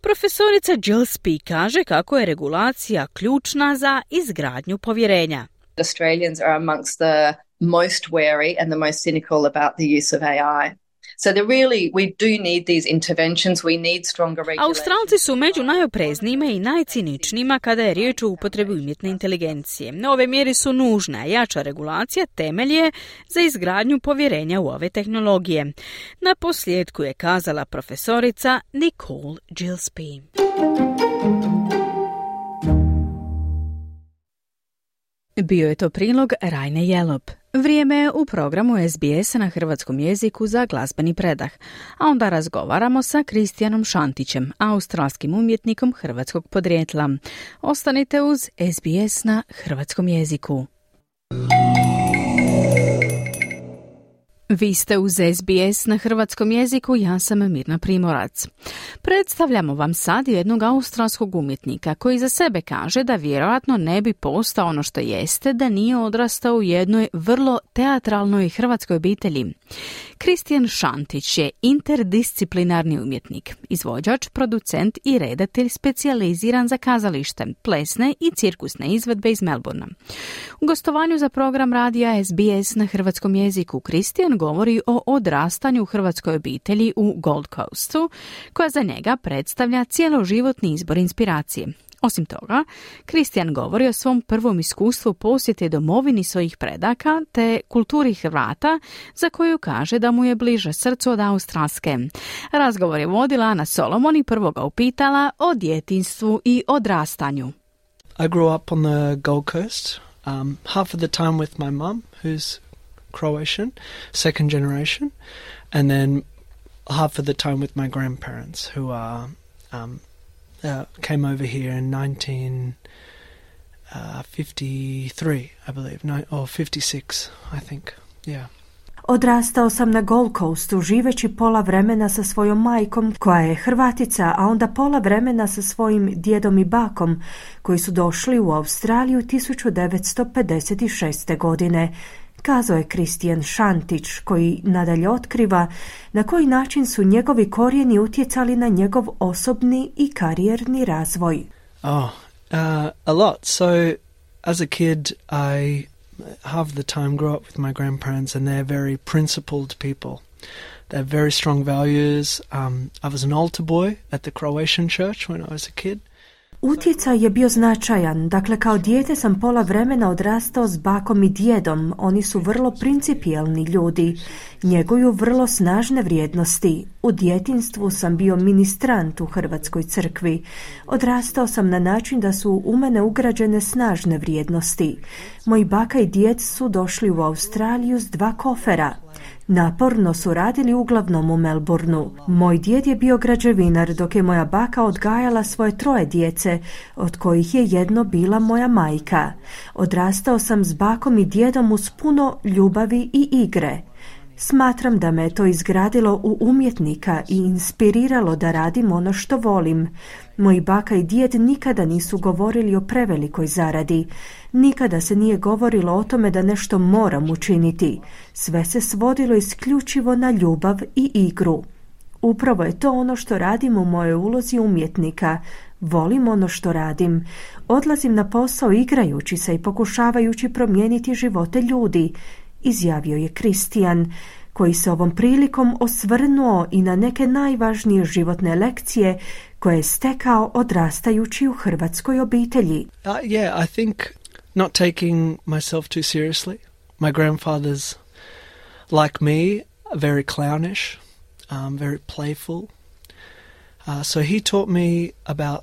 Profesorica Gillespie kaže kako je regulacija ključna za izgradnju povjerenja. Australians are amongst the most wary and the most cynical about the use of A I. So there really, we do need these interventions, we need stronger regulations. Australci su među najopreznijima i najciničnijima kada je riječ o upotrebi umjetne inteligencije. Ove mjere su nužne, a jača regulacija temelj je za izgradnju povjerenja u ove tehnologije. Na posljedku je kazala profesorica Nicole Gillespie. Bio je to prilog Rajne Jelop. Vrijeme je u programu S B S na hrvatskom jeziku za glazbeni predah, a onda razgovaramo sa Kristijanom Šantićem, australskim umjetnikom hrvatskog podrijetla. Ostanite uz S B S na hrvatskom jeziku. Vi ste uz S B S na hrvatskom jeziku, ja sam Mirna Primorac. Predstavljamo vam sad jednog australskog umjetnika koji za sebe kaže da vjerojatno ne bi postao ono što jeste da nije odrastao u jednoj vrlo teatralnoj hrvatskoj obitelji. Kristijan Šantić je interdisciplinarni umjetnik, izvođač, producent i redatelj specijaliziran za kazalište, plesne i cirkusne izvedbe iz Melbourna. U gostovanju za program radija S B S na hrvatskom jeziku Kristijan govori o odrastanju u hrvatskoj obitelji u Gold Coastu, koja za njega predstavlja cjeloživotni izbor inspiracije. Osim toga, Kristijan govori o svom prvom iskustvu posjete domovini svojih predaka te kulturi Hrvata, za koju kaže da mu je bliže srcu od australske. Razgovor je vodila Ana Solomon i prvo ga upitala o djetinjstvu i odrastanju. I grew up on the Gold Coast, um, half of the time with my mum, who's Croatian, second generation, and then half of the time with my grandparents, who are um, uh, came over here in nineteen fifty-three, I believe, no, or fifty-six, I think, yeah. Odrastao sam na Gold Coastu, živeći pola vremena sa svojom majkom, koja je Hrvatica, a onda pola vremena sa svojim djedom i bakom, koji su došli u Australiju tisuću devetsto pedeset šeste. godine. Kazao je Kristijan Šantić, koji nadalje otkriva na koji način su njegovi korijeni utjecali na njegov osobni i karijerni razvoj. Oh, uh, a lot. So, as a kid, I half the time grew up with my grandparents, and they're very principled people. They have very strong values. Um, I was an altar boy at the Croatian church when I was a kid. Utjecaj je bio značajan. Dakle, kao dijete sam pola vremena odrastao s bakom i djedom. Oni su vrlo principijelni ljudi. Njeguju vrlo snažne vrijednosti. U djetinstvu sam bio ministrant u Hrvatskoj crkvi. Odrastao sam na način da su u mene ugrađene snažne vrijednosti. Moji baka i djed su došli u Australiju s dva kofera. Naporno su radili uglavnom u Melbourneu. Moj djed je bio građevinar, dok je moja baka odgajala svoje troje djece, od kojih je jedno bila moja majka. Odrastao sam s bakom i djedom uz puno ljubavi i igre. Smatram da me to izgradilo u umjetnika i inspiriralo da radim ono što volim. Moji baka i djed nikada nisu govorili o prevelikoj zaradi. Nikada se nije govorilo o tome da nešto moram učiniti. Sve se svodilo isključivo na ljubav i igru. Upravo je to ono što radim u mojoj ulozi umjetnika. Volim ono što radim. Odlazim na posao igrajući se i pokušavajući promijeniti živote ljudi, izjavio je Kristijan, koji se ovom prilikom osvrnuo i na neke najvažnije životne lekcije koje je stekao odrastajući u hrvatskoj obitelji. Uh, yeah, I think not taking myself too seriously. My grandfather's, like me, very clownish, um, very playful. Uh, so he taught me about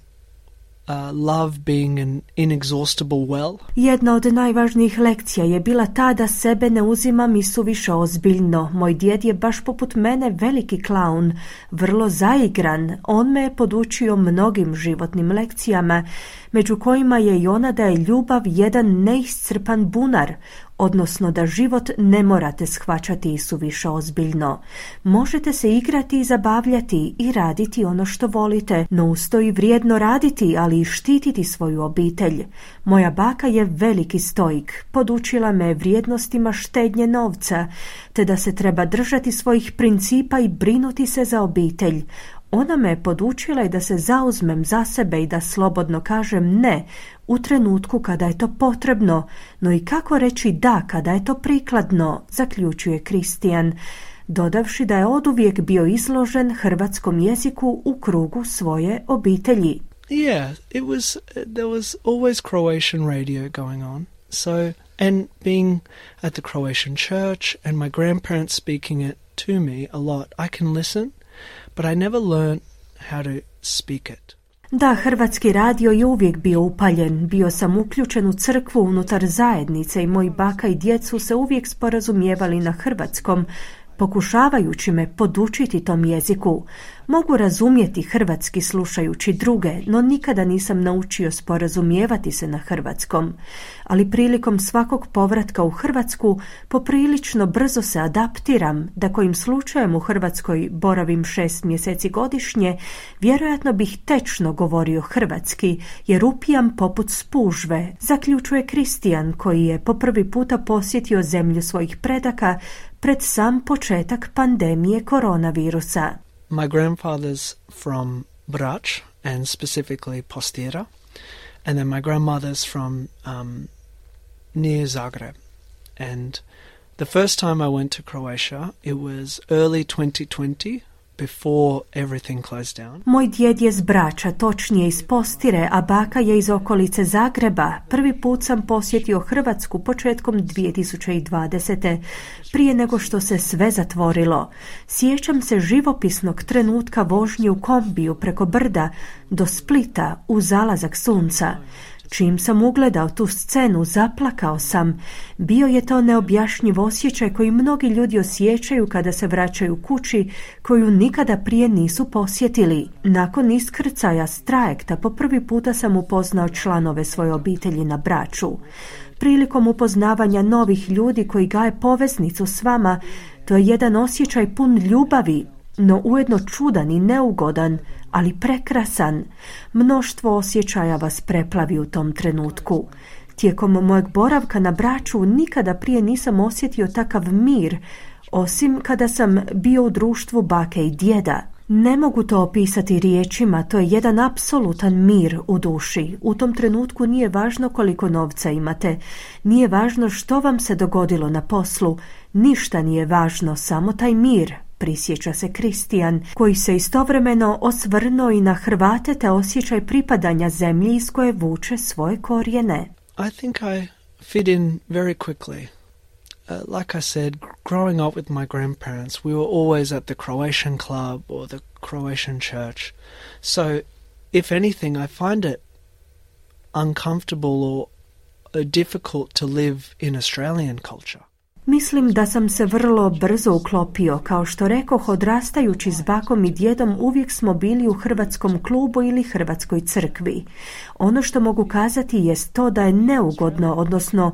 Uh, love being an inexhaustible well. Jedna od najvažnijih lekcija je bila ta da sebe ne uzimam i suviše ozbiljno. Moj djed je baš poput mene veliki klaun, vrlo zaigran. On me je podučio mnogim životnim lekcijama, među kojima je i ona da je ljubav jedan neiscrpan bunar, odnosno da život ne morate shvaćati i suviše ozbiljno. Možete se igrati i zabavljati i raditi ono što volite, no uz to i vrijedno raditi, ali i štititi svoju obitelj. Moja baka je veliki stoik, podučila me vrijednostima štednje novca, te da se treba držati svojih principa i brinuti se za obitelj. Ona me je podučila i da se zauzmem za sebe i da slobodno kažem ne u trenutku kada je to potrebno, no i kako reći da kada je to prikladno, zaključuje Kristijan, dodavši da je oduvijek bio izložen hrvatskom jeziku u krugu svoje obitelji. Yeah, it was, there was always Croatian radio going on. So, and being at the Croatian church and my grandparents speaking it to me a lot, I can listen, but I never learned how to speak it. Da, hrvatski radio je uvijek bio upaljen. Bio sam uključen u crkvu unutar zajednice i moji baka i djed su se uvijek sporazumijevali na hrvatskom, pokušavajući me podučiti tom jeziku. Mogu razumjeti hrvatski slušajući druge, no nikada nisam naučio sporazumijevati se na hrvatskom. Ali prilikom svakog povratka u Hrvatsku poprilično brzo se adaptiram, da kojim slučajem u Hrvatskoj boravim šest mjeseci godišnje, vjerojatno bih tečno govorio hrvatski, jer upijam poput spužve, zaključuje Kristijan, koji je po prvi puta posjetio zemlju svojih predaka pred sam početak pandemije koronavirusa. My grandfather's from Brač, and specifically Postira, and then my grandmother's from um, near Zagreb. And the first time I went to Croatia, it was early twenty twenty, before everything closed down. Moj djed je s Brača, točnije iz Postire, a baka je iz okolice Zagreba. Prvi put sam posjetio Hrvatsku početkom dvije tisuće dvadesete. prije nego što se sve zatvorilo. Sjećam se živopisnog trenutka vožnje u kombiju preko brda do Splita u zalazak sunca. Čim sam ugledao tu scenu, zaplakao sam. Bio je to neobjašnjiv osjećaj koji mnogi ljudi osjećaju kada se vraćaju kući koju nikada prije nisu posjetili. Nakon iskrcaja s trajekta po prvi puta sam upoznao članove svoje obitelji na Braču. Prilikom upoznavanja novih ljudi koji gaje poveznicu s vama, to je jedan osjećaj pun ljubavi, no ujedno čudan i neugodan, ali prekrasan. Mnoštvo osjećaja vas preplavi u tom trenutku. Tijekom mojeg boravka na Braču nikada prije nisam osjetio takav mir, osim kada sam bio u društvu bake i djeda. Ne mogu to opisati riječima, to je jedan apsolutan mir u duši. U tom trenutku nije važno koliko novca imate, nije važno što vam se dogodilo na poslu, ništa nije važno, samo taj mir, prisjeća se Kristijan, koji se istovremeno osvrnuo i na Hrvate te osjećaj pripadanja zemlji iz koje vuče svoje korijene. I think I fit in very quickly. Uh, like I said, growing up with my grandparents, we were always at the Croatian club or the Croatian church. So, if anything, I find it uncomfortable or uh, difficult to live in Australian culture. Mislim da sam se vrlo brzo uklopio. Kao što rekoh, odrastajući s bakom i djedom uvijek smo bili u hrvatskom klubu ili hrvatskoj crkvi. Ono što mogu kazati jest to da je neugodno, odnosno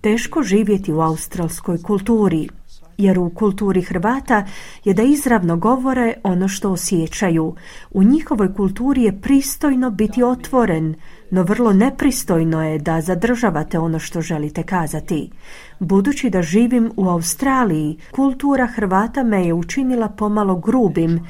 teško živjeti u australskoj kulturi, jer u kulturi Hrvata je da izravno govore ono što osjećaju. U njihovoj kulturi je pristojno biti otvoren, no vrlo nepristojno je da zadržavate ono što želite kazati. Budući da živim u Australiji, kultura Hrvata me je učinila pomalo grubim.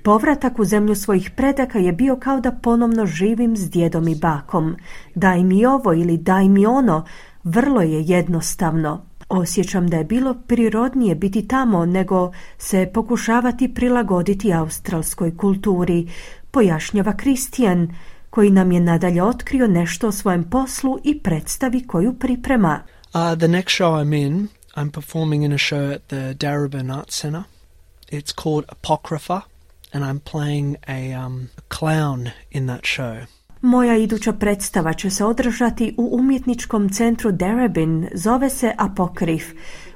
Povratak u zemlju svojih predaka je bio kao da ponovno živim s djedom i bakom. Daj mi ovo ili daj mi ono, vrlo je jednostavno. Osjećam da je bilo prirodnije biti tamo nego se pokušavati prilagoditi australskoj kulturi, pojašnjava Kristijan, koji nam je nadalje otkrio nešto o svojem poslu i predstavi koju priprema. Uh, the next show I'm in, I'm performing in a show at the Darebin Arts Centre. It's called Apocrypha, and I'm playing a, um, a clown in that show. Moja iduća predstava će se održati u umjetničkom centru Darebin, zove se Apokrif.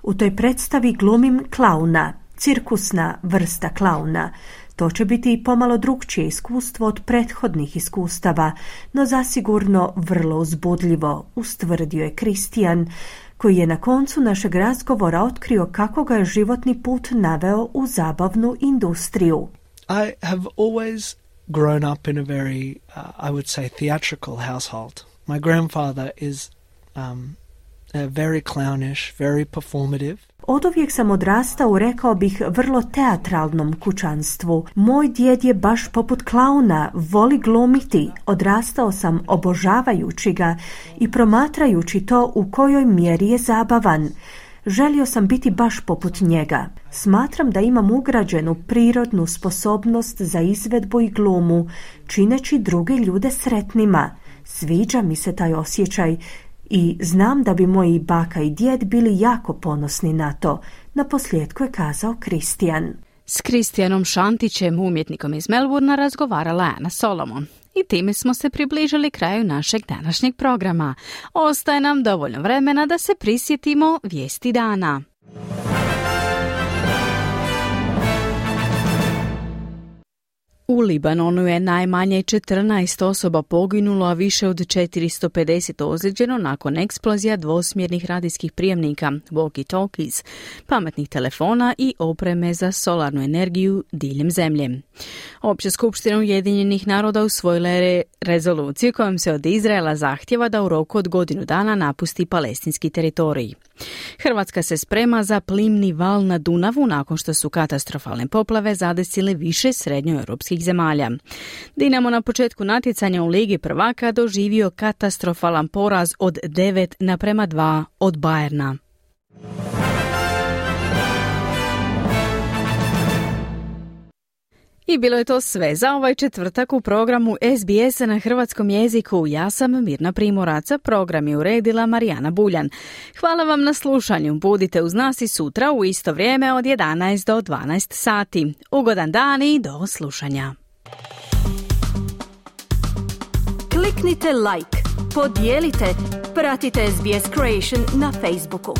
U toj predstavi glumim klauna, cirkusna vrsta klauna. To će biti i pomalo drukčije iskustvo od prethodnih iskustava, no zasigurno vrlo uzbudljivo, ustvrdio je Kristijan, koji je na koncu našeg razgovora otkrio kako ga je životni put naveo u zabavnu industriju. I have always grown up in a very, uh, I would say, theatrical household. My grandfather is um, uh, very clownish, very performative. Oduvijek sam odrastao, rekao bih, vrlo teatralnom kućanstvu. Moj djed je baš poput klauna, voli glumiti. Odrastao sam obožavajući ga i promatrajući to u kojoj mjeri je zabavan. Želio sam biti baš poput njega. Smatram da imam ugrađenu prirodnu sposobnost za izvedbu i glumu, čineći druge ljude sretnima. Sviđa mi se taj osjećaj i znam da bi moji baka i djed bili jako ponosni na to, naposljetku je kazao Kristijan. S Kristijanom Šantićem, umjetnikom iz Melbourna, razgovarala Ana Solomon. I time smo se približili kraju našeg današnjeg programa. Ostaje nam dovoljno vremena da se prisjetimo vijesti dana. U Libanonu je najmanje četrnaest osoba poginulo, a više od četiristo pedeset ozlijeđeno nakon eksplozija dvosmjernih radijskih prijemnika, walkie-talkies, pametnih telefona i opreme za solarnu energiju diljem zemlje. Opća skupština Ujedinjenih naroda usvojila je rezoluciju kojom se od Izraela zahtjeva da u roku od godinu dana napusti palestinski teritorij. Hrvatska se sprema za plimni val na Dunavu nakon što su katastrofalne poplave zadesile više srednjoeuropskih zemalja. Dinamo na početku natjecanja u Ligi prvaka doživio katastrofalan poraz od devet naprema dva od Bayerna. I bilo je to sve za ovaj četvrtak u programu S B S na hrvatskom jeziku. Ja sam Mirna Primorac, program je uredila Marijana Buljan. Hvala vam na slušanju. Budite uz nas i sutra u isto vrijeme od jedanaest do dvanaest sati. Ugodan dan i do slušanja. Kliknite like, podijelite, pratite S B S Creation na Facebooku.